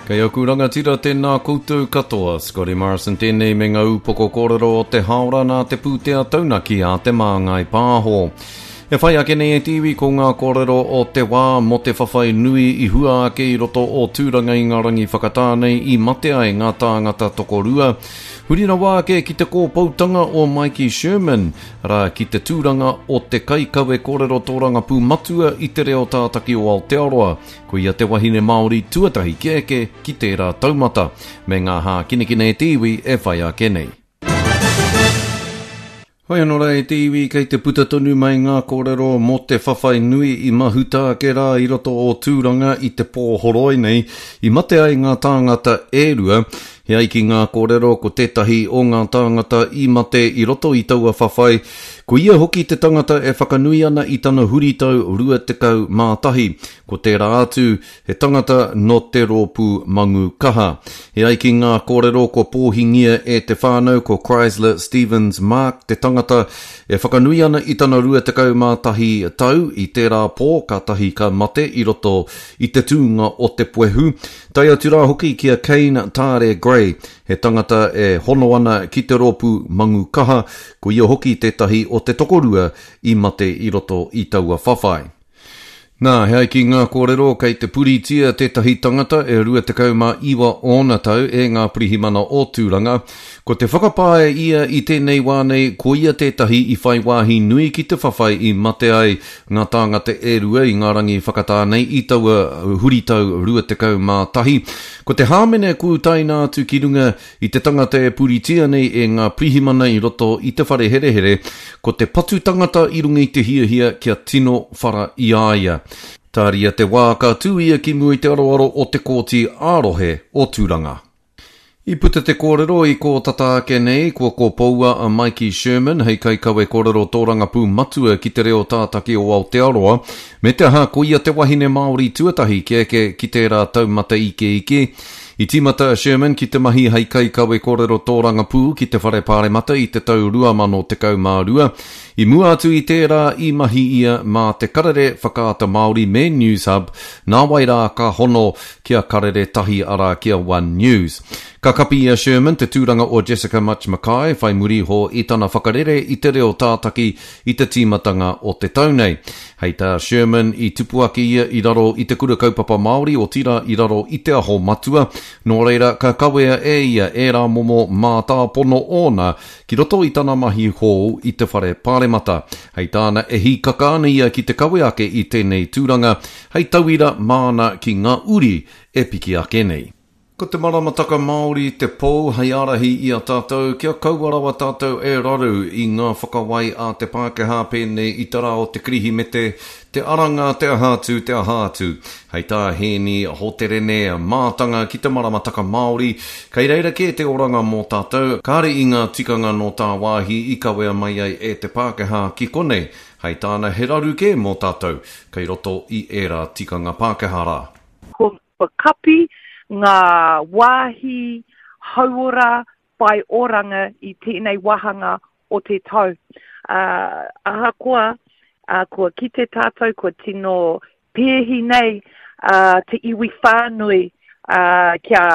Kei aku rangatira tēnā koutou katoa, Scotty Morrison tēnei me ngā upoko kōrero o te haora nā te pūtea taunaki a Te Māngai Pāho. E whai ake nei e te iwi ko ngā kōrero o te wā mō te whawhai nui i hua ake i roto o Tūranga i ngā rangi whakatā nei i mate ai ngā tāngata tokorua. Huri rawa ake ki te kōpoutanga o Maiki Sherman, arā, ki te tūranga o te kaikawe kōrero tōrangapū matua i te reo tātaki o Aotearoa. Ko ia te wahine Māori tuatahi kia eke ki tērā taumata, me ngā hākinakina e te iwi e whai ake nei. Hoi anō rā e te iwi, kei te puta tonu mai ngā kōrero mō te whawhai nui i mahuta ake rā i roto o Tūranga i te pō horoi nei, i mate ai ngā tāngata e rua. He ai ki ngā kōrero ko tētahi o ngā tāngata i mate i roto i taua whawhai, ko ia hoki te tangata e whakanui ana i tana huritau 21, ko tērā atu he tangata nō te rōpū Mangu Kaha. He ai ki ngā kōrero kua pōhingia e te whānau ko Chrysler Stevens Mark te tangata e whakanui ana i tana 21 tau i tērā pō kātahi ka mate i roto i te tūnga o te puehu. Tae atu rā hoki ki a Kane Taare Gray, he tangata e hono ana ki te rōpū Mangu Kaha, ko ia hoki tētahi o te tokorua i mate i roto i taua whawhai. Nā, he ai ki ngā kōrero kei te puritia tētahi tangata e 29 ōna tau e ngā pirihimana o Tūranga. Ko te whakapae ia i tēnei wā nei ko ia tētahi i whai wāhi nui ki te whawhai i mate ai ngā tāngata e rua i ngā rangi whakatā nei i taua huritau 21. Ko te hāmene kua utaina atu ki runga i te tangata e puritia nei e ngā pirihimana i roto i te whare herehere, ko te patu tangata i runga i te hiahia kia tino whara i a ia. Tāria te wā ka tū ia ki mua i te aroaro o te Kōti ā-Rohe o Tūranga. I puta te kōrero i kō tata ake nei, kua kōpoua a Maiki Sherman hei kaikawe kōrero tōrangapū matua ki te reo tātaki o Aotearoa, me te aha ko ia te wahine Māori tuatahi kia eke ki tērā taumata ikeike. I tīmata a Sherman ki te mahi hei kaikawe kōrero tōrangapū ki te Whare Pāremata i te tau 2012. I mua atu i tērā i mahi ia mā te Karere Whakaata Māori me Newshub, nāwai rā ka hono ki a Karere Tahi arā ki a One News. Ka kapi i a Sherman te tūranga o Jessica Mutch McKay whai muri iho i tana whakarere i te reo tātaki i te tīmatanga o te tau nei. Hei tā Sherman, i tupu ake ia i raro i te Kura Kaupapa Māori, otirā i raro i Te Aho Matua, nō reira ka kawea e ia ērā momo mātāpono ōna ki roto i tana mahi hou i te Whare Pāremata. Hei tāna e hīkaka ana ia ki te kawe ake i tēnei tūranga hei tauira māna ki ngā uri e piki ake nei. Ko te maramataka Māori te pou hei ārahi i a tātou kia kaua rawa tātou e raru i ngā whakawai a te Pākehā pēnei i te rā o te Kirihimete, te Aranga, te aha atu, te aha atu. Hei tā Hēni Hoterene, mātanga ki te maramataka Māori, kei reira kē te oranga mō tātou, kāre i ngā tikanga nō tāwāhi i kawea mai ai e te Pākehā ki konei. Hei tāna he raru kē mō tātou kei roto i ērā tikanga Pākehā rā. Ko Kua kapi ngā wāhi hauora whai oranga i tēnei wāhanga o te tau. Ahakoa kua kite tātou kua tino pēhi nei te iwi whānui kia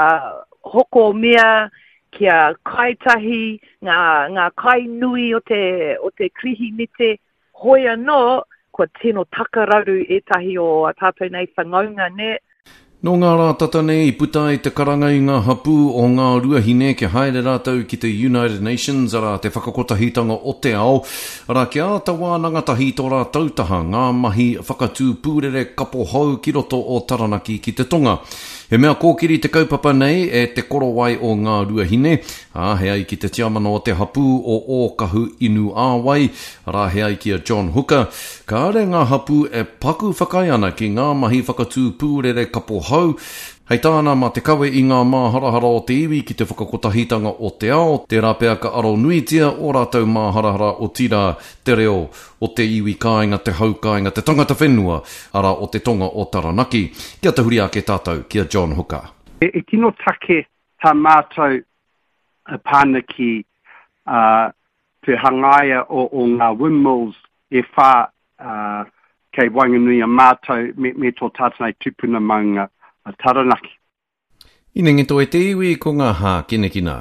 hoko mea, kia kai tahi ngā kai nui o te Kirihimete, Hoi anō, kua tino takararu ētahi o ā tātou nei whangaunga, nē. Nō ngā rā tata nei i puta ai te karanga i ngā hapū o Ngā Ruahine kia haere rātou ki te United Nations, arā, te whakakotahitanga o te ao, arā, kia āta wānanga tahi i tō rātou taha ngā mahi whakatū pūrere kapo hou ki roto o Taranaki ki te tonga. He mea kōkiri te kaupapa nei e Te Korowai o Ngā Ruahine, ā, he ai ki te tiamana o te hapū o Ōkahu Inu Āwai, arā, he ai ki a John Hooker, kāre ngā hapū e paku whakaae ana ki ngā mahi whakatū pūrere kapo hou, hei tāna mā te kawe i ngā māharahara o te iwi ki te whakakotahitanga o te ao, tērā pea ka aro nuitia ō rātou māharahara otirā te reo o te iwi kāinga, te hau kāinga, te tangata whenua, arā, o te tonga o Taranaki. Kia tahuri ake tātou ki a John Hooker. E tino take tā mātou pāna ki te hangaia o ngā windmills e whā kei waenganui a mātou me tō tātou nei tupuna maunga a Taranaki. Inengeto e te iwi ko ngā hākinakina.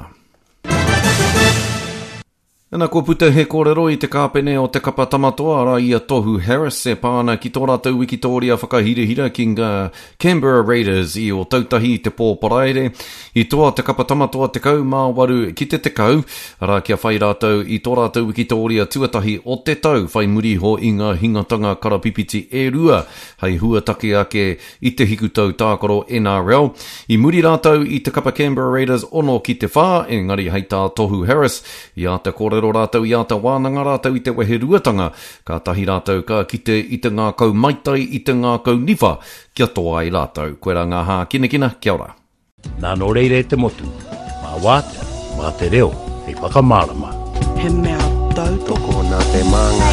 Ana kua puta he kōrero i te kāpene o te kapa Tamatoa arā i a Tohu Harris e pā ana ki tō rātou wikitōria whakahirahira ki ngā Canberra Raiders i Ōtautahi i te pō Paraire. I toa te kapa Tamatoa 18 ki te 10, arā kia whai rātou i tō rātou wikitōria tuatahi o te tau whai muri iho i ngā hingatanga karapipiti e rua hei huataki ake i te hikutau tākaro NRL. I muri rātou i te kapa Canberra Raiders 6 ki te 4, engari hei tā Tohu Harris, i āta kōrero rātou, i āta wānanga rātou i te weheruatanga, kātahi rātou ka kite i te ngākau maitai, i te ngākau niwha kia toa ai rātou. Koirā ngā hākinakina, kia ora. Nā nō reira e te motu, mā Wātea, mā te reo hei whakamārama. He mea tautoko. Tokona te māngai.